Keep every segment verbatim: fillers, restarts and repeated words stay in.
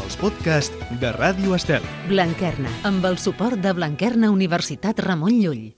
els podcasts de Ràdio Estel. Blanquerna, amb el suport de Blanquerna Universitat Ramon Llull.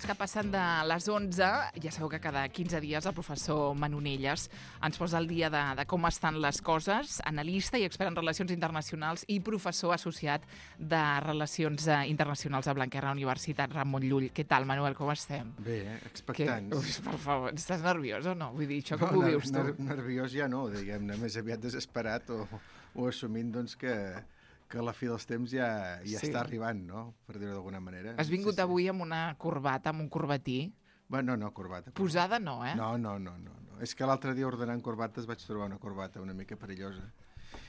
Que passen de les onze, ja sabeu que cada quinze dies el professor Manonelles ens posa el dia de, de com estan les coses, analista i expert en relacions internacionals i professor associat de Relacions Internacionals a Blanquerna Universitat Ramon Llull. Què tal, Manuel, com estem? Bé, expectants. Que, ui, per favor, estàs nerviós o no? Vull dir, això com no, ho vius tu? Ner nerviós ja no, diguem-ne, més aviat desesperat o, o assumint doncs, que... que la fi dels temps ja, ja sí. està arribant, no? Per dir-ho d'alguna manera. Has vingut sí, sí. avui amb una corbata, amb un corbatí? Bueno, no, corbata. corbata. Posada no, eh? No, no, no, no. no. És que l'altre dia ordenant corbates vaig trobar una corbata una mica perillosa.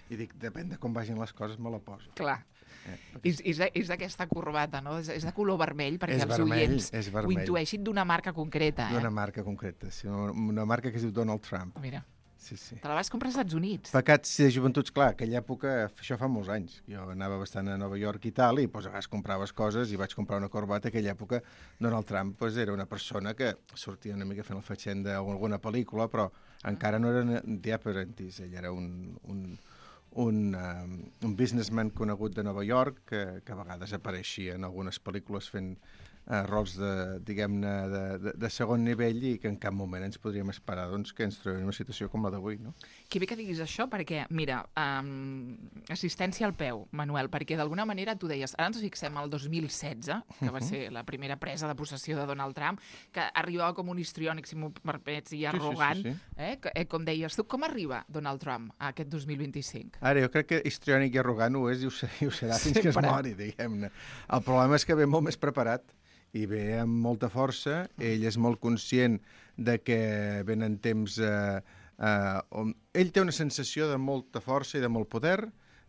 I dic, depèn de com vagin les coses, me la poso. Clar. Eh, perquè... És, és d'aquesta corbata, no? És, és de color vermell, perquè és els vermell, oients ho intueixin d'una marca concreta, eh? D'una marca concreta, sí. Una marca que es diu Donald Trump. Mira. Sí, sí. Te la vas comprar als Estats Units. Pecats de joventuts, clar, aquella època, això fa molts anys. Jo anava bastant a Nova York i tal, i doncs, a vegades compraves coses i vaig comprar una corbata. Aquella època, Donald Trump pues, era una persona que sortia una mica fent el fatxenda o alguna pel·lícula, però ah. encara no era The Apprentice. Ell era un, un, un, um, un businessman conegut de Nova York que, que a vegades apareixia en algunes pel·lícules fent Uh, rols de, diguem-ne, de, de, de segon nivell i que en cap moment ens podríem esperar doncs, que ens trobem en una situació com la d'avui, no? Que bé que diguis això, perquè, mira, um, assistència al peu, Manuel, perquè d'alguna manera tu deies, ara ens fixem al dos mil setze, que va ser la primera presa de possessió de Donald Trump, que arribava com un histriònic, si m'ho permets, i arrogant, sí, sí, sí, sí. Eh? Que, eh, com deies tu, com arriba Donald Trump a aquest dos mil vint-i-cinc? Ara, jo crec que histriònic i arrogant ho és i ho serà, i ho serà fins que es mori, diguem-ne. El problema és que ve molt més preparat i ve amb molta força. Ell és molt conscient de que venen temps eh, eh, on... Ell té una sensació de molta força i de molt poder,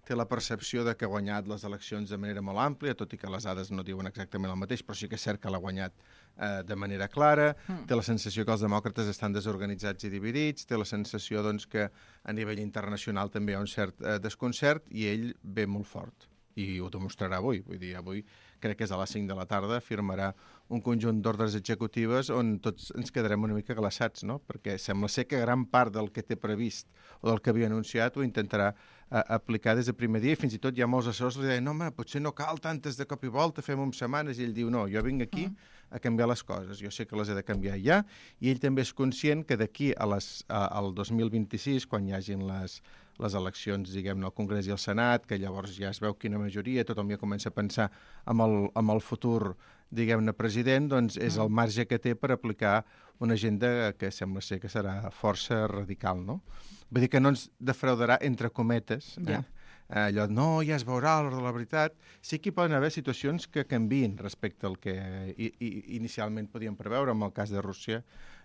té la percepció de que ha guanyat les eleccions de manera molt àmplia, tot i que les dades no diuen exactament el mateix, però sí que és cert que l'ha guanyat eh, de manera clara, mm. té la sensació que els demòcrates estan desorganitzats i dividits, té la sensació doncs, que a nivell internacional també hi ha un cert eh, desconcert i ell ve molt fort. I ho demostrarà avui. Vull dir, avui crec que és a les cinc de la tarda, firmarà un conjunt d'ordres executives on tots ens quedarem una mica glaçats, no? Perquè sembla ser que gran part del que té previst o del que havia anunciat ho intentarà eh, aplicar des del primer dia i fins i tot hi ha molts assessors que li deien no, home, potser no cal tantes de cop i volta, fem en setmanes, i ell diu no, jo vinc aquí mm. a canviar les coses, jo sé que les he de canviar ja, i ell també és conscient que d'aquí a les, a, al dos mil vint-i-sis, quan hi hagin les les eleccions, diguem-ne, al Congrés i al Senat, que llavors ja es veu quina majoria, tothom ja comença a pensar amb el, amb el futur, diguem-ne, president, doncs és el marge que té per aplicar una agenda que sembla ser que serà força radical, no? Vull dir que no ens defraudarà, entre cometes, eh? Yeah. Allò, no, ja es veurà a l'hora de la veritat. Sí que hi poden haver situacions que canvien respecte al que i, i, inicialment podíem preveure, amb el cas de Rússia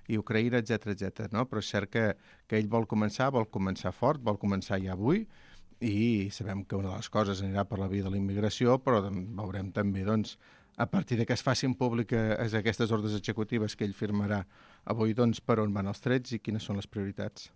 i Ucraïna, etcètera, etcètera, no? Però és cert que, que ell vol començar, vol començar fort, vol començar ja avui, i sabem que una de les coses anirà per la via de la immigració, però veurem també, doncs, a partir de que es facin públiques aquestes ordres executives que ell firmarà avui, doncs, per on van els trets i quines són les prioritats.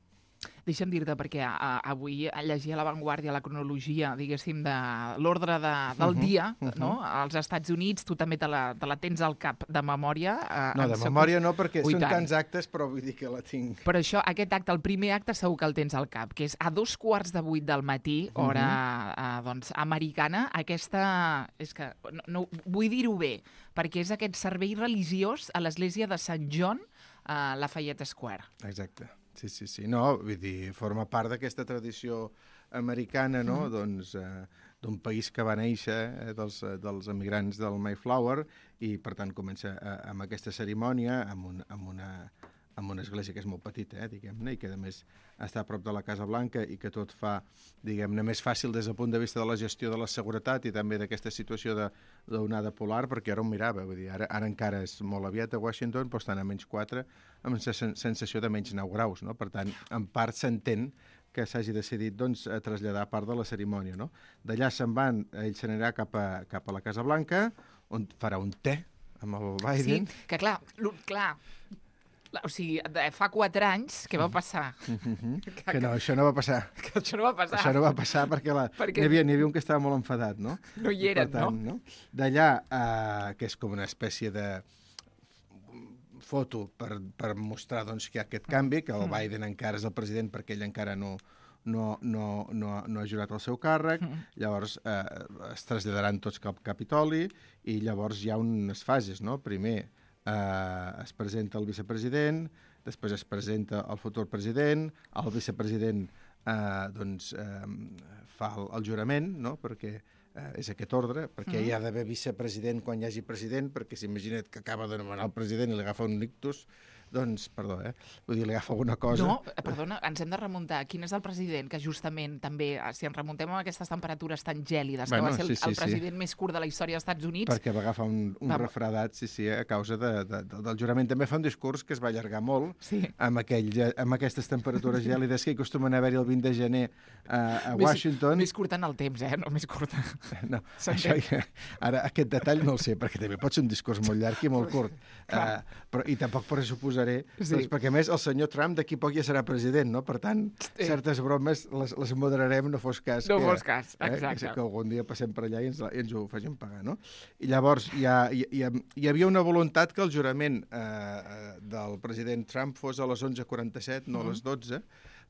Deixa'm dir-te, perquè a, avui llegia a l'avantguàrdia la cronologia, diguéssim, de l'ordre de, del uh -huh, dia, uh -huh. no? Als Estats Units, tu també te la, te la tens al cap de memòria. Eh, no, de memòria no, perquè Ui, són tant. tants actes, però vull dir que la tinc. Però això, aquest acte, el primer acte, segur que el tens al cap, que és a dos quarts de vuit del matí, hora uh -huh. eh, doncs, americana, aquesta... És que no, no vull dir-ho bé, perquè és aquest servei religiós a l'església de Sant John a Lafayette Square. Exacte. Sí, sí, sí. No, vull dir, forma part d'aquesta tradició americana, no?, mm. doncs, eh, d'un país que va néixer eh, dels, dels emigrants del Mayflower i, per tant, comença eh, amb aquesta cerimònia, amb, un, amb, una, amb una església que és molt petita, eh, diguem-ne, i que, a més, està a prop de la Casa Blanca i que tot fa, diguem-ne, més fàcil des del punt de vista de la gestió de la seguretat i també d'aquesta situació d'onada polar, perquè ara ho mirava, vull dir, ara, ara encara és molt aviat a Washington, però estan a menys quatre, amb la sensació de menys nou graus, no? Per tant, en part s'entén que s'hagi decidit doncs, a traslladar part de la cerimònia, no? D'allà se'n van, ell se n'anirà cap, a, cap a la Casa Blanca, on farà un té amb el Biden. Sí, que clar, clar, O sigui, de, fa quatre anys, què va passar? Mm-hmm. Que, que no, això no va passar. Que això no va passar. Això no va passar perquè, la... perquè... N'hi havia, n'hi havia un que estava molt enfadat, no? No hi eren, tant, no? no? D'allà, uh, que és com una espècie de foto per, per mostrar doncs, que hi ha aquest canvi, que el Biden encara és el president perquè ell encara no, no, no, no, no ha jurat el seu càrrec, llavors eh, es traslladaran tots cap Capitoli i llavors hi ha unes fases, no? Primer eh, es presenta el vicepresident, després es presenta el futur president, el vicepresident eh, doncs, eh, fa el, el jurament, no? Perquè eh, és aquest ordre, perquè hi ha d'haver vicepresident quan hi hagi president, perquè s'imagina't que acaba de nomenar el president i li agafa un ictus, doncs, perdó, eh? Vull dir, li agafa alguna cosa. No, perdona, ens hem de remuntar. Quin és el president que justament també, si ens remuntem a aquestes temperatures tan gèlides, bueno, que va ser el, sí, sí, el president sí. més curt de la història dels Estats Units... Perquè va agafar un, un va... refredat, sí, sí, a causa de, de, de, del jurament. També fa un discurs que es va allargar molt sí. amb, aquell, amb aquestes temperatures gèlides que hi acostumen a haver-hi el vint de gener a, a Washington. Més, més curt en el temps, eh? No més curt. No, això, ara aquest detall no el sé, perquè també pot ser un discurs molt llarg i molt curt. Uh, però, I tampoc per suposaré, sí. doncs, perquè a més el senyor Trump d'aquí poc ja serà president, no? Per tant, sí. certes bromes les, les moderarem, no fos cas. No que, fos cas, exacte. Eh, que algun dia passem per allà i ens, i ens ho facin pagar, no? I llavors hi, ha, hi, hi, hi havia una voluntat que el jurament eh, del president Trump fos a les onze quaranta-set, no a les dotze,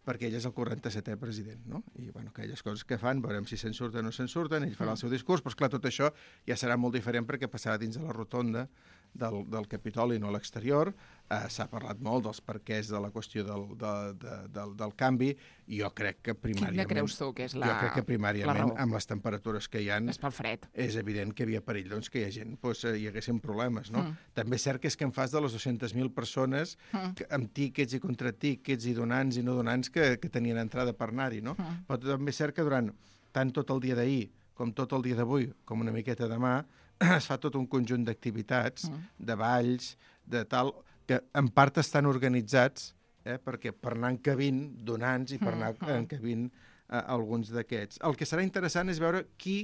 perquè ell és el quaranta-setè president, no? I, bueno, aquelles coses que fan, veurem si se'n surten o no se'n surten, ell farà el seu discurs, però, esclar, tot això ja serà molt diferent perquè passarà dins de la rotonda del, del Capitoli, no a l'exterior. Eh, s'ha parlat molt dels perquès de la qüestió del, de, de, del, del canvi, i jo crec que primàriament... Quina creus tu que és la Jo crec que primàriament, amb les temperatures que hi ha... És pel fred. És evident que hi havia perill, doncs, que hi ha gent, doncs, hi haguessin problemes, no? Mm. També és cert que és que en fas de les dues-centes mil persones mm. que, amb tíquets i contratíquets i donants i no donants que, que tenien entrada per anar-hi, no? Mm. Però també és cert que durant tant tot el dia d'ahir com tot el dia d'avui, com una miqueta demà, es fa tot un conjunt d'activitats, mm. de balls, de tal, que en part estan organitzats eh, perquè per anar encabint donants i per anar mm. encabint eh, alguns d'aquests. El que serà interessant és veure qui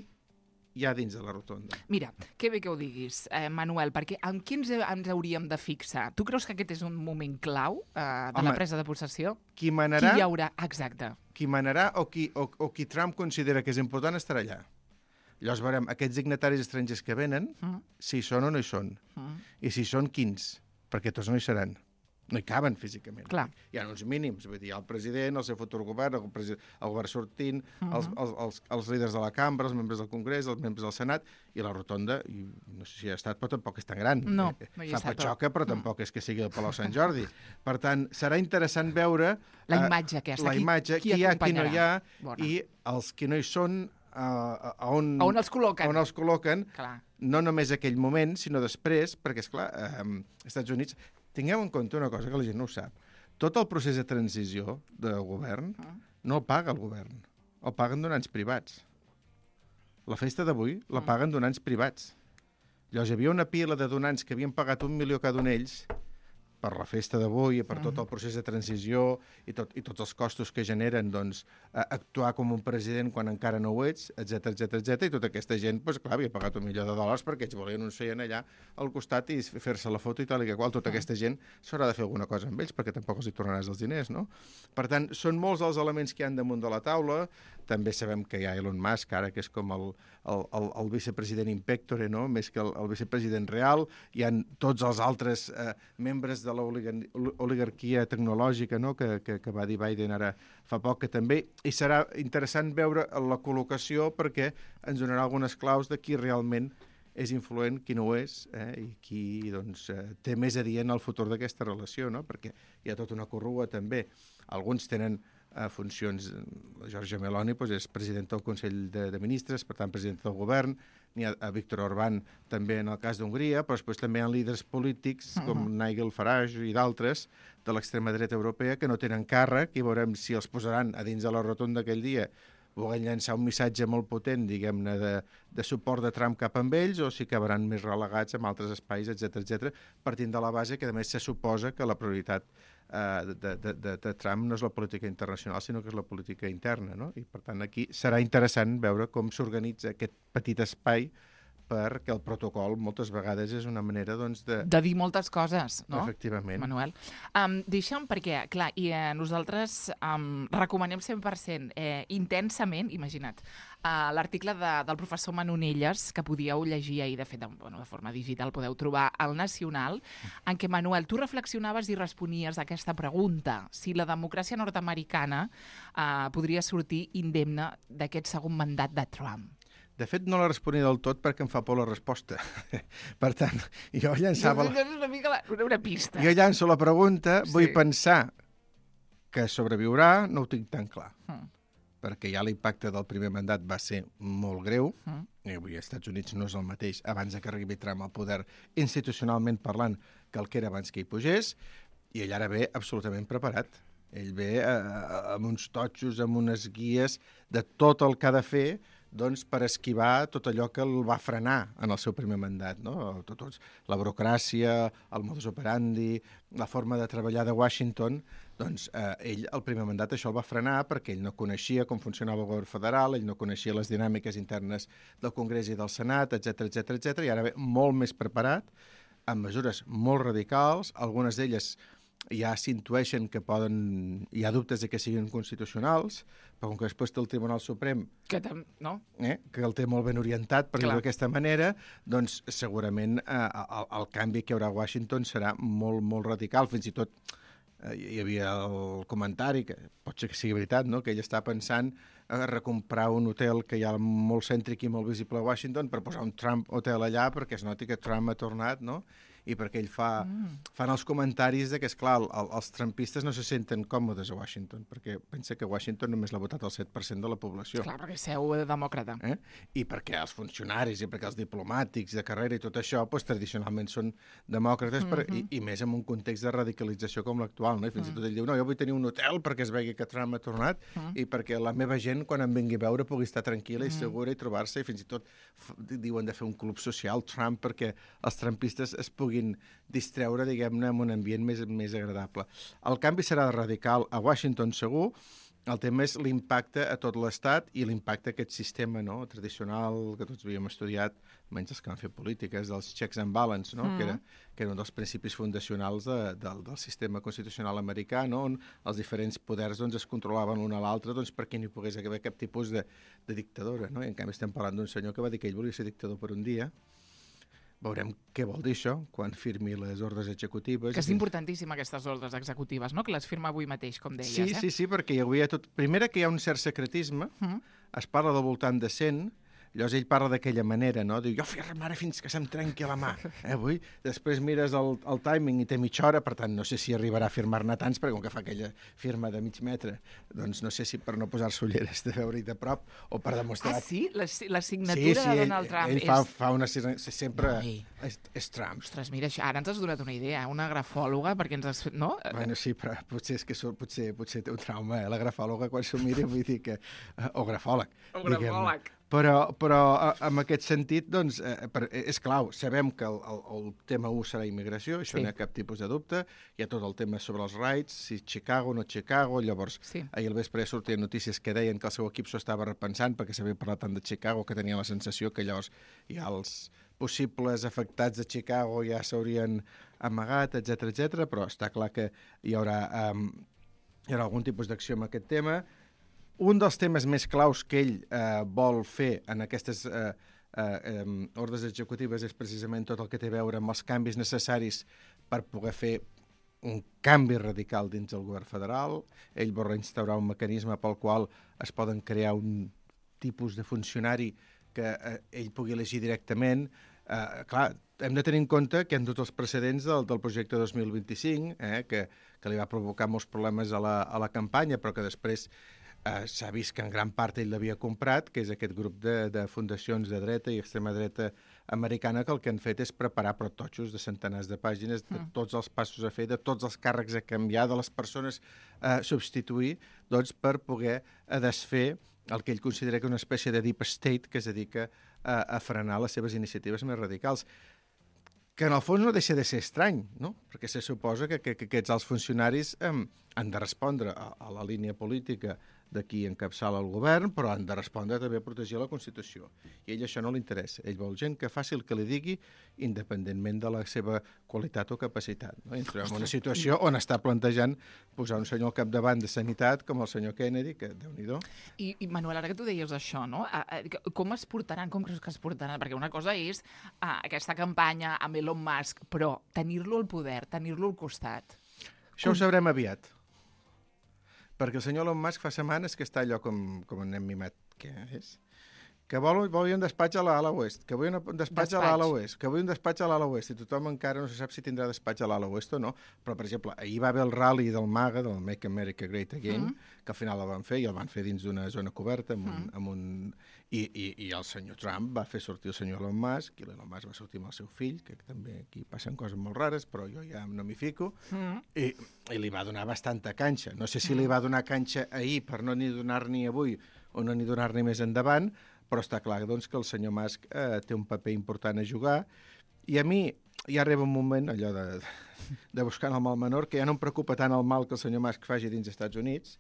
hi ha dins de la rotonda. Mira, que bé que ho diguis, eh, Manuel, perquè amb qui ens, ens hauríem de fixar? Tu creus que aquest és un moment clau eh, de Home, la presa de possessió? Qui manarà... Qui hi haurà? Exacte. Qui manarà o qui, o, o qui Trump considera que és important estarà allà. Llavors veurem aquests dignataris estrangers que venen, mm. si hi són o no hi són. Mm. I si hi són, quins? Perquè tots no hi seran. No hi caben físicament. Clar. Hi ha uns mínims. Vull dir, hi ha el president, el seu futur govern, el, president, el govern sortint, mm -hmm. els, els, els, els líders de la cambra, els membres del Congrés, els membres del Senat, i la rotonda, i no sé si ha estat, però tampoc és tan gran. No, no hi ha estat. Fa patxoca, però mm. tampoc és que sigui el Palau Sant Jordi. Per tant, serà interessant veure... La imatge aquesta. La imatge, qui, qui hi ha, qui no hi ha, Bona. i els que no hi són... Uh, a, on, a on els col·loquen, on els col·loquen clar. No només aquell moment, sinó després, perquè, esclar, eh, als Estats Units, tingueu en compte una cosa que la gent no ho sap. Tot el procés de transició de govern uh. no el paga el govern, el paguen donants privats. La festa d'avui la paguen donants privats. Llavors, hi havia una pila de donants que havien pagat un milió cada un d'ells per la festa d'avui i per tot el procés de transició i, tot, i tots els costos que generen doncs, actuar com un president quan encara no ho ets, etcètera, etcètera, etcètera. I tota aquesta gent, doncs, clar, havia pagat un milió de dòlars perquè ells volien un seient allà al costat i fer-se la foto i tal, i que qual tota aquesta gent s'haurà de fer alguna cosa amb ells perquè tampoc els hi tornaràs els diners, no? Per tant, són molts els elements que hi ha damunt de la taula. També sabem que hi ha Elon Musk, ara, que és com el, el, el, el vicepresident in pectore, no? Més que el, el vicepresident real. Hi ha tots els altres eh, membres de l'oligarquia tecnològica, no? que, que, que va dir Biden ara fa poc, que també. I serà interessant veure la col·locació perquè ens donarà algunes claus de qui realment és influent, qui no ho és, eh? I qui doncs, eh, té més a dir en el futur d'aquesta relació, no? Perquè hi ha tota una corrua també. Alguns tenen a funcions, la Giorgia Meloni doncs, és president del Consell de, de Ministres, per tant, president del govern, n'hi ha a Víctor Orbán també en el cas d'Hongria, però després també hi ha líders polítics com uh -huh. Nigel Farage i d'altres de l'extrema dreta europea que no tenen càrrec i veurem si els posaran a dins de la rotonda aquell dia volent llançar un missatge molt potent, diguem-ne, de, de suport de Trump cap amb ells o si acabaran més relegats en altres espais, etcètera, etcètera, partint de la base que, a més, se suposa que la prioritat uh, de, de, de, de Trump no és la política internacional, sinó que és la política interna, no? I, per tant, aquí serà interessant veure com s'organitza aquest petit espai perquè el protocol moltes vegades és una manera doncs, de... De dir moltes coses, no? Efectivament. Manuel. Um, deixa'm, perquè, clar, i, eh, nosaltres um, recomanem cent per cent, eh, intensament, imagina't, uh, l'article de, del professor Manonelles, que podíeu llegir ahir, de fet, de, bueno, de forma digital, podeu trobar al Nacional, en què, Manuel, tu reflexionaves i responies a aquesta pregunta, si la democràcia nord-americana uh, podria sortir indemne d'aquest segon mandat de Trump. De fet, no la responia del tot perquè em fa por la resposta. Per tant, jo llançava... La... És una mica la... una pista. Jo llanço la pregunta, Sí. vull pensar que sobreviurà, no ho tinc tan clar. Mm. Perquè ja l'impacte del primer mandat va ser molt greu, Mm. i avui als Estats Units no és el mateix abans que arribi Trump al poder institucionalment parlant que el que era abans que hi pugés, i ell ara ve absolutament preparat. Ell ve eh, amb uns totxos, amb unes guies de tot el que ha de fer doncs, per esquivar tot allò que el va frenar en el seu primer mandat. No? Tot, tot, la burocràcia, el modus operandi, la forma de treballar de Washington, doncs eh, ell, el primer mandat, això el va frenar perquè ell no coneixia com funcionava el govern federal, ell no coneixia les dinàmiques internes del Congrés i del Senat, etcètera, etcètera, etcètera, i ara ve molt més preparat, amb mesures molt radicals, algunes d'elles ja s'intueixen que poden... Hi ha dubtes de que siguin constitucionals, però com que després té el Tribunal Suprem, Que tam... no? eh, que el té molt ben orientat, per dir-ho Clar. d'aquesta manera, doncs segurament eh, el, el canvi que hi haurà a Washington serà molt, molt radical. Fins i tot eh, hi havia el comentari, que pot ser que sigui veritat, no? Que ell està pensant a recomprar un hotel que hi ha molt cèntric i molt visible a Washington per posar un Trump Hotel allà perquè es noti que Trump ha tornat, no? I perquè ell fa, mm. fan els comentaris de que, esclar, el, el, els trumpistes no se senten còmodes a Washington, perquè pensa que Washington només l'ha votat el set per cent de la població. Clar, perquè seu demòcrata. Eh? I perquè els funcionaris i perquè els diplomàtics de carrera i tot això, doncs, tradicionalment són demòcrates, per, mm -hmm. i, i més en un context de radicalització com l'actual. No? I fins mm. i tot ell diu, no, jo vull tenir un hotel perquè es vegi que Trump ha tornat mm. i perquè la meva gent, quan em vingui a veure, pugui estar tranquil·la mm. i segura i trobar-se, i fins i tot diuen de fer un club social Trump perquè els trumpistes es puguin distreure, diguem-ne, en un ambient més, més agradable. El canvi serà radical a Washington, segur. El tema és l'impacte a tot l'Estat i l'impacte a aquest sistema, no?, tradicional que tots havíem estudiat, menys els que van fer polítiques, dels checks and balance, no?, mm. que, era, que era un dels principis fundacionals de, de, del sistema constitucional americà, no?, on els diferents poders doncs, es controlaven l'un a l'altre doncs, perquè no hi pogués haver cap tipus de, de dictadura. No? I en canvi estem parlant d'un senyor que va dir que ell volia ser dictador per un dia. Veurem què vol dir això quan firmi les ordres executives. Que és importantíssim, aquestes ordres executives, no? Que les firma avui mateix, com deies. Sí, eh? sí, sí, perquè hi havia tot... Primera, que hi ha un cert secretisme, mm. es parla del voltant de cent, llavors ell parla d'aquella manera, no? Diu, jo firmaré fins que se'm trenqui la mà, eh, avui? Després mires el, el timing i té mitja hora, per tant, no sé si arribarà a firmar-ne tants, perquè com que fa aquella firma de mig metre, doncs no sé si per no posar-se ulleres de veure-hi de prop o per demostrar... Ah, sí? La, la signatura sí, sí, de Donald ell, Trump ell és... fa, fa una... Sempre Ai. és, és Trump. Ostres, mira, ara ens has donat una idea, una grafòloga, perquè ens has... No? Bueno, sí, però potser és que so, potser, potser té un trauma, eh? La grafòloga, quan s'ho miri, vull dir que... O grafòleg. O grafòleg. Però, però en aquest sentit, doncs, eh, per, és clau. Sabem que el, el, el tema u serà immigració, això sí. No hi ha cap tipus de dubte. Hi ha tot el tema sobre els rights, si Chicago o no Chicago. Llavors, sí. Ahir al vespre sortien notícies que deien que el seu equip s'ho estava repensant perquè s'havia parlat tant de Chicago que tenia la sensació que llavors ja els possibles afectats de Chicago ja s'haurien amagat, etcètera, etcètera. Però està clar que hi haurà, um, hi haurà algun tipus d'acció amb aquest tema. Un dels temes més claus que ell eh, vol fer en aquestes eh, eh, ordres executives és precisament tot el que té a veure amb els canvis necessaris per poder fer un canvi radical dins del govern federal. Ell vol reinstaurar un mecanisme pel qual es poden crear un tipus de funcionari que eh, ell pugui elegir directament. Eh, clar, hem de tenir en compte que hi ha tots els precedents del, del projecte dos mil vint-i-cinc, eh, que, que li va provocar molts problemes a la, a la campanya, però que després Uh, s'ha vist que en gran part ell l'havia comprat, que és aquest grup de, de fundacions de dreta i extrema dreta americana que el que han fet és preparar prototxos de centenars de pàgines, de tots els passos a fer, de tots els càrrecs a canviar, de les persones a uh, substituir, doncs per poder uh, desfer el que ell considera que és una espècie de deep state que es dedica uh, a frenar les seves iniciatives més radicals. Que en el fons no deixa de ser estrany, no? Perquè se suposa que, que, que aquests alts funcionaris um, han de respondre a, a la línia política de qui encapçala el govern, però han de respondre també a protegir la Constitució. I a ell això no li interessa. Ell vol gent que faci el que li digui, independentment de la seva qualitat o capacitat. No? I ens trobem en una situació on està plantejant posar un senyor al capdavant de sanitat, com el senyor Kennedy, que déu-n'hi-do. I, I, Manuel, ara que tu deies això, no? A, a, com es portaran, com creus que es portaran? Perquè una cosa és a, aquesta campanya amb Elon Musk, però tenir-lo al poder, tenir-lo al costat. Això ho sabrem aviat. Perquè el senyor Elon Musk fa setmanes que està allò com, com un nen mimat que és, que vol, vol un despatx a l'ala oest, que vull un despatx, despatx. a l'ala oest, que vull un despatx a l'ala oest, i tothom encara no se sap si tindrà despatx a l'ala oest o no, però, per exemple, ahir va haver el rally del MAGA, del Make America Great Again, mm. que al final el van fer, i el van fer dins d'una zona coberta, amb un, mm. amb un... I, i, i el senyor Trump va fer sortir el senyor Elon Musk, i l'Elon Musk va sortir amb el seu fill, que també aquí passen coses molt rares, però jo ja no m'hi fico, mm. i, i li va donar bastanta canxa. No sé si li va donar canxa ahir per no ni donar-n'hi avui o no ni donar-n'hi més endavant, però està clar doncs, que el senyor Musk eh, té un paper important a jugar, i a mi ja arriba un moment, allò de, de buscar el mal menor, que ja no em preocupa tant el mal que el senyor Musk faci dins dels Estats Units,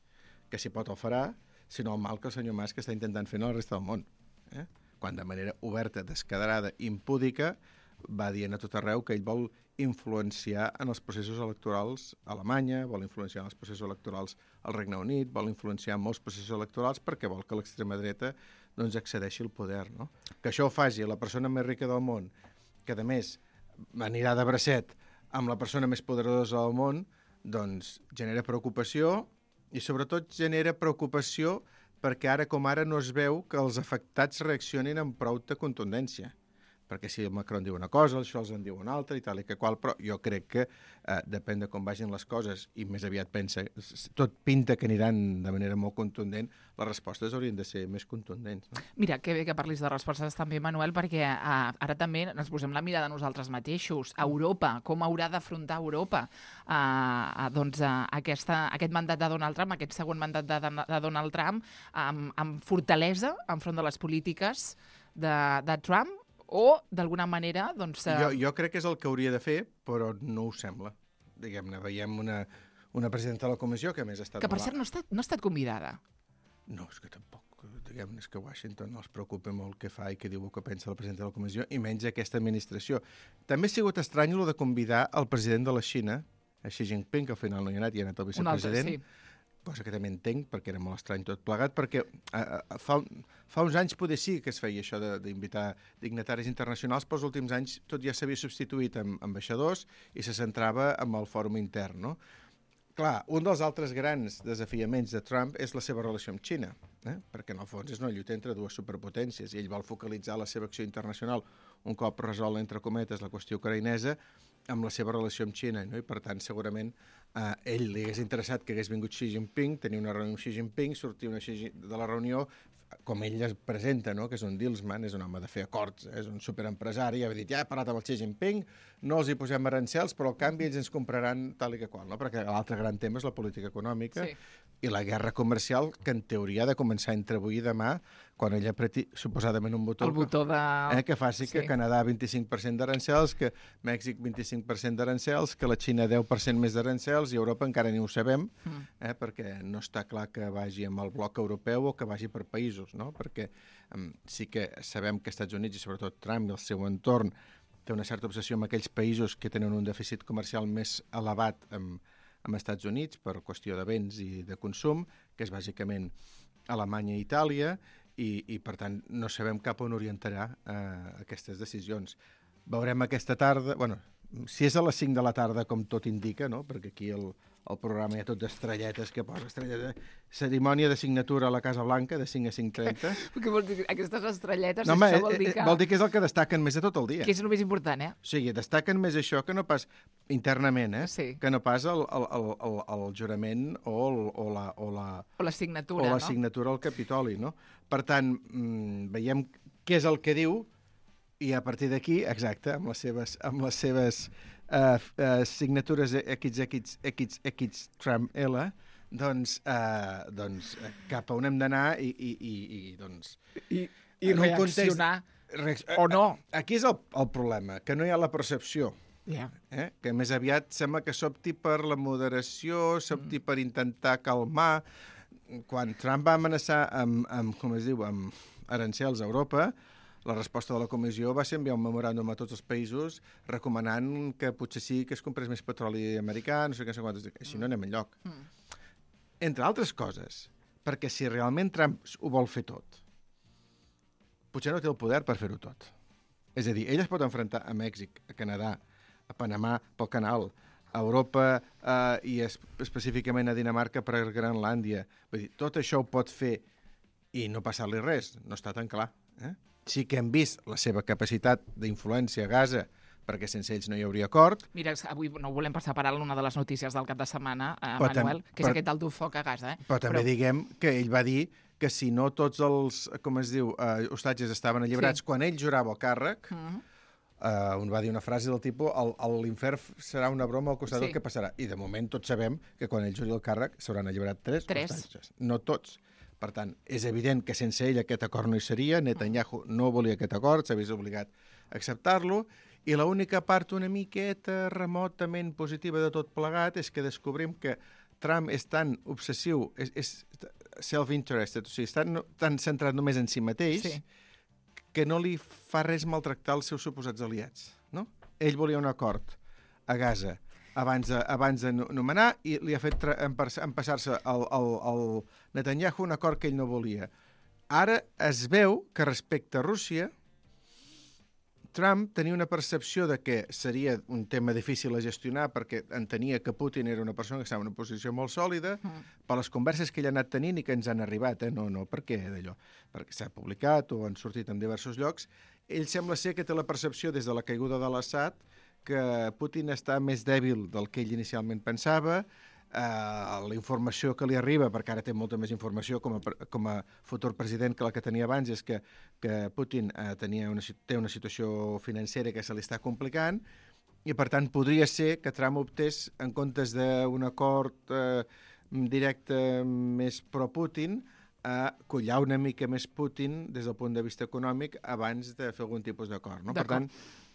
que si pot el farà, sinó el mal que el senyor Musk està intentant fer a la resta del món. Eh? Quan de manera oberta, descaderada, impúdica, va dient a tot arreu que ell vol influenciar en els processos electorals a Alemanya, vol influenciar en els processos electorals al Regne Unit, vol influenciar en molts processos electorals perquè vol que l'extrema dreta doncs, accedeixi al poder. No? Que això ho faci la persona més rica del món, que a més anirà de bracet amb la persona més poderosa del món, doncs genera preocupació i sobretot genera preocupació perquè ara com ara no es veu que els afectats reaccionin amb prou de contundència. Perquè si el Macron diu una cosa, els Scholz en diu una altra i tal i que qual, però jo crec que eh, depèn de com vagin les coses i més aviat pensa, tot pinta que aniran de manera molt contundent, les respostes haurien de ser més contundents. No? Mira, que bé que parlis de respostes també, Manuel, perquè eh, ara també ens posem la mirada nosaltres mateixos. A Europa, com haurà d'afrontar Europa eh, eh, doncs, eh, aquesta, aquest mandat de Donald Trump, aquest segon mandat de, de Donald Trump, amb, amb fortalesa enfront de les polítiques de, de Trump, o, d'alguna manera, doncs... Jo, jo crec que és el que hauria de fer, però no ho sembla. Diguem-ne, veiem una, una presidenta de la comissió que a més ha estat... Que, per cert, no ha estat, no ha estat convidada. No, és que tampoc. Diguem-ne, és que Washington no els preocupa molt què fa i què diu o què pensa la presidenta de la comissió, i menys aquesta administració. També ha sigut estrany el de convidar el president de la Xina, a Xi Jinping, que al final no hi ha anat, hi ha anat el vicepresident, un altre, sí. Cosa que també entenc, perquè era molt estrany tot plegat, perquè eh, fa, fa uns anys poder sí que es feia això d'invitar dignataris internacionals, però els últims anys tot ja s'havia substituït amb ambaixadors i se centrava en el fòrum intern, no? Clar, un dels altres grans desafiaments de Trump és la seva relació amb Xina, eh? Perquè en el fons és una lluita entre dues superpotències i ell vol focalitzar la seva acció internacional un cop resol, entre cometes, la qüestió ucraïnesa amb la seva relació amb Xina, no? I per tant segurament a eh, ell li hagués interessat que hagués vingut Xi Jinping, tenir una reunió amb Xi Jinping, sortir una Xi, de la reunió com ell es presenta, no? Que és un dealsman, és un home de fer acords, eh? És un superempresari, i ha dit, ja he parlat amb el Xi Jinping, no els hi posem arancels, però al canvi ells ens compraran tal i que qual, no? Perquè l'altre gran tema és la política econòmica, sí. I la guerra comercial, que en teoria ha de començar entre avui i demà, quan ell apreti suposadament un botó, el botó de... eh, que faci sí. Que Canadà vint-i-cinc per cent d'arancels, que Mèxic vint-i-cinc per cent d'arancels, que la Xina deu per cent més d'arancels, i Europa encara ni ho sabem, mm. eh, perquè no està clar que vagi amb el bloc europeu o que vagi per països, no? Perquè um, sí que sabem que els Estats Units, i sobretot Trump i el seu entorn, té una certa obsessió amb aquells països que tenen un dèficit comercial més elevat amb, amb els Estats Units per qüestió de béns i de consum, que és bàsicament Alemanya i Itàlia, i, i per tant no sabem cap on orientarà eh, aquestes decisions. Veurem aquesta tarda, bueno, si és a les cinc de la tarda, com tot indica, no? Perquè aquí el, el programa hi ha tot d'estrelletes que posa estrelletes. Cerimònia de signatura a la Casa Blanca de cinc a cinc trenta. Què vol dir? Aquestes estrelletes, no, home, això vol dir que... Vol dir que és el que destaquen més de tot el dia. Que és el més important, eh? O sigui, destaquen més això que no pas internament, eh? Sí. Que no pas el, el, el, el, el jurament o, el, o, la, o, la, o la signatura, o la no? signatura al Capitoli, no? Per tant, mmm, veiem què és el que diu i a partir d'aquí, exacte, amb les seves, amb les seves uh, uh, signatures X X X X Trump L, doncs, uh, doncs cap a on hem d'anar i, i, i, i doncs... I, i reaccionar context, o no. Aquí és el, el problema, que no hi ha la percepció. Yeah. Eh? Que més aviat sembla que s'opti per la moderació, s'opti mm. per intentar calmar. quan Trump va amenaçar amb, amb, com es diu, amb arancels a Europa, la resposta de la comissió va ser enviar un memoràndum a tots els països recomanant que potser sí que es comprés més petroli americà, no sé què, no sé quantes, així no anem enlloc. Mm. Entre altres coses, perquè si realment Trump ho vol fer tot, potser no té el poder per fer-ho tot. És a dir, ell es pot enfrontar a Mèxic, a Canadà, a Panamà pel canal, a Europa eh, i es, específicament a Dinamarca per Grenlàndia. Vull dir, tot això ho pot fer i no passar-li res, no està tan clar. Eh? Sí que hem vist la seva capacitat d'influència a Gaza, perquè sense ells no hi hauria acord. Mira, avui no volem passar per alt una de les notícies del cap de setmana, eh, Manuel, que és però, aquest del dur foc a Gaza. Eh? Però també però... diguem que ell va dir que si no tots els, com es diu, eh, hostatges estaven alliberats, sí. Quan ell jurava el càrrec, uh-huh. eh, un va dir una frase del tipus l'infern serà una broma al costat sí. del que passarà. I de moment tots sabem que quan ell juri el càrrec s'hauran alliberat tres, tres hostatges. No tots. Per tant, és evident que sense ell aquest acord no hi seria, Netanyahu no volia aquest acord, s'ha vist obligat a acceptar-lo, i l'única part una miqueta remotament positiva de tot plegat és que descobrim que Trump és tan obsessiu, és, és self-interested, o sigui, està no, tan centrat només en si mateix, sí. que no li fa res maltractar els seus suposats aliats. No? Ell volia un acord a Gaza abans de, abans de nomenar i li ha fet empassar-se el, el, el Netanyahu un acord que ell no volia. Ara es veu que respecte a Rússia Trump tenia una percepció de que seria un tema difícil a gestionar perquè entenia que Putin era una persona que estava en una posició molt sòlida mm. per les converses que ell ha anat tenint i que ens han arribat, eh? no, no per què d'allò, perquè s'ha publicat o han sortit en diversos llocs. Ell sembla ser que té la percepció des de la caiguda de l'Assad que Putin està més dèbil del que ell inicialment pensava, eh, la informació que li arriba, perquè ara té molta més informació com a, com a futur president que la que tenia abans, és que, que Putin eh, tenia una, té una situació financera que se li està complicant i, per tant, podria ser que Trump optés, en comptes d'un acord eh, directe més pro-Putin, a collar una mica més Putin des del punt de vista econòmic abans de fer algun tipus d'acord. No? Per tant,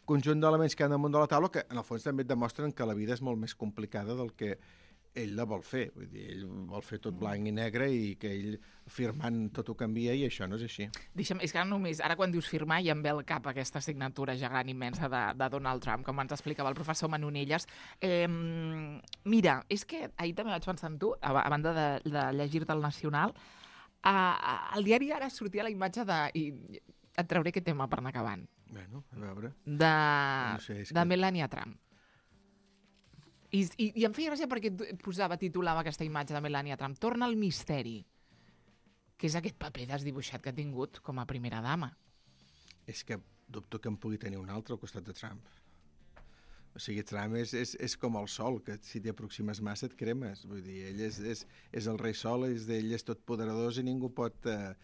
conjunt d'elements que han damunt de la taula que, en el fons, també et demostren que la vida és molt més complicada del que ell la vol fer. Vull dir, ell vol fer tot blanc i negre i que ell firmant tot ho canvia i això no és així. Deixa'm, és que ara només, ara quan dius firmar ja em ve al cap aquesta signatura gegant immensa de, de Donald Trump, com ens explicava el professor Manonelles. Eh, mira, és que ahir també vaig pensar en tu, a, a banda de, de llegir-te el Nacional, a, a, al diari ara sortia la imatge de... I, et trauré aquest tema per anar acabant. Bueno, a veure. De, no sé, de que... Melania Trump. I, i, I em feia gràcia perquè posava, titulava aquesta imatge de Melania Trump. Torna al misteri, que és aquest paper desdibuixat que ha tingut com a primera dama. És que dubto que en pugui tenir un altre al costat de Trump. O sigui, Trump és, és, és com el sol, que si t'hi aproximes massa et cremes. Vull dir, ell és, és, és el rei sol, és d'ell és tot poderós i ningú pot... Eh...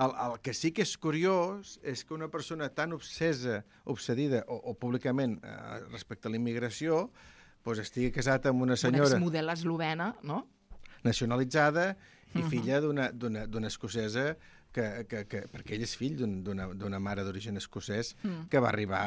El, el que sí que és curiós és que una persona tan obsesa, obsedida, o, o públicament eh, respecte a la immigració, doncs estigui casat amb una senyora... Una exmodel eslovena, no? Nacionalitzada i uh-huh. filla d'una escocesa que, que, que... Perquè ell és fill d'una mare d'origen escocès uh-huh. que va arribar...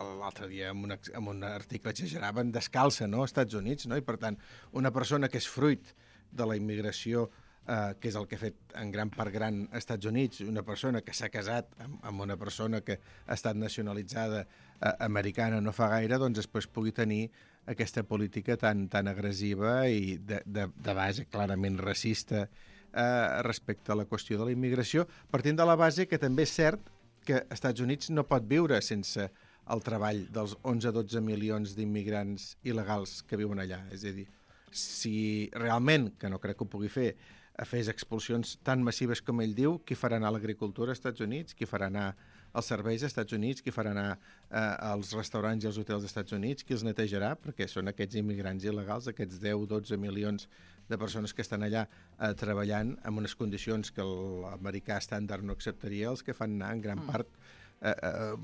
l'altre dia en, una, en un article exageraven descalça, no?, als Estats Units, no? I per tant, una persona que és fruit de la immigració Uh, que és el que ha fet en gran part gran als Estats Units, una persona que s'ha casat amb, amb una persona que ha estat nacionalitzada uh, americana no fa gaire, doncs després pugui tenir aquesta política tan, tan agressiva i de, de, de base clarament racista uh, respecte a la qüestió de la immigració, partint de la base que també és cert que als Estats Units no pot viure sense el treball dels onze a dotze milions d'immigrants il·legals que viuen allà. És a dir, si realment, que no crec que ho pugui fer, fes expulsions tan massives com ell diu, qui farà anar a l'agricultura als Estats Units, qui farà anar als serveis als Estats Units, qui farà anar eh, als restaurants i als hotels dels Estats Units, qui els netejarà, perquè són aquests immigrants il·legals, aquests deu a dotze milions de persones que estan allà eh, treballant en unes condicions que l'americà estàndard no acceptaria, els que fan anar en gran part eh, eh,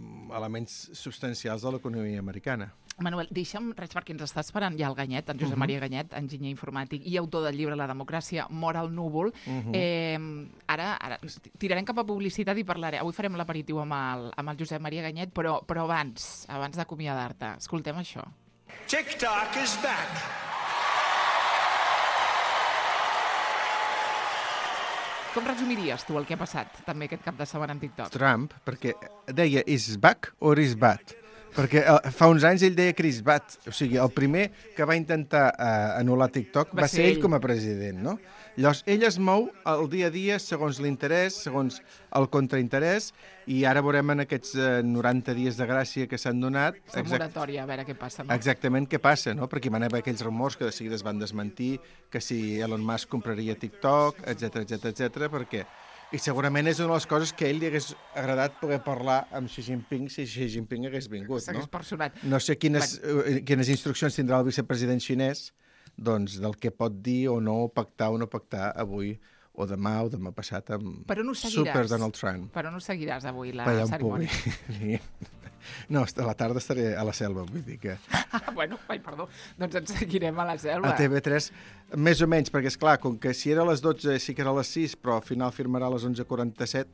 elements substancials de l'economia americana. Manuel, deixa'm res perquè ens està esperant ja el Ganyet, en Josep uh-huh. Maria Ganyet, enginyer informàtic i autor del llibre La democràcia mor al núvol. Uh-huh. eh, ara, ara tirarem cap a publicitat i parlarem. Avui farem l'aperitiu amb, el, amb el Josep Maria Ganyet, però, però abans, abans d'acomiadar-te, escoltem això. TikTok is back. Com resumiries tu el que ha passat també aquest cap de setmana en TikTok? Trump, perquè deia is back or is bad? Perquè uh, fa uns anys ell deia que is bad. O sigui, el primer que va intentar uh, anul·lar TikTok va, va ser ell com a president, no? Llavors, ell es mou el dia a dia segons l'interès, segons el contrainterès, i ara veurem en aquests uh, noranta dies de gràcia que s'han donat... La moratòria, a veure què passa, no? Exactament què passa, no? Perquè van haver aquells rumors que de seguida es van desmentir, que si Elon Musk compraria TikTok, etcètera, etcètera, etcètera, perquè... I segurament és una de les coses que a ell li hagués agradat poder parlar amb Xi Jinping si Xi Jinping hagués vingut, no? S'hagués personat. No sé quines, uh, quines instruccions tindrà el vicepresident xinès doncs, del que pot dir o no pactar o no pactar avui o demà o demà passat amb Super Donald Trump. Per on ho seguiràs avui, la per cerimònia? No, a la tarda estaré a la selva, vull dir que... Ah, bueno, ai, perdó, doncs ens seguirem a la selva. A T V tres, més o menys, perquè, esclar, com que si era a les dotze sí que era a les sis, però al final firmarà a les onze quaranta-set,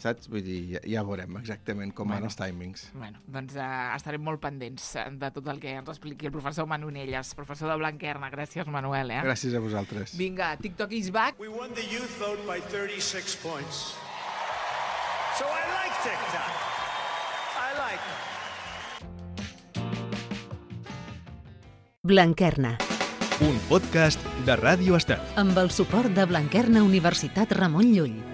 saps? Vull dir, ja, ja veurem exactament com bueno, van els timings. Bueno, doncs uh, estarem molt pendents de tot el que ens expliqui el professor Manu Nelles, professor de Blanquerna. Gràcies, Manuel. Eh? Gràcies a vosaltres. Vinga, TikTok is back. We won the youth vote by thirty-six points. So I like TikTok. I like it. Blanquerna. Un podcast de Ràdio Estel. Amb el suport de Blanquerna Universitat Ramon Llull.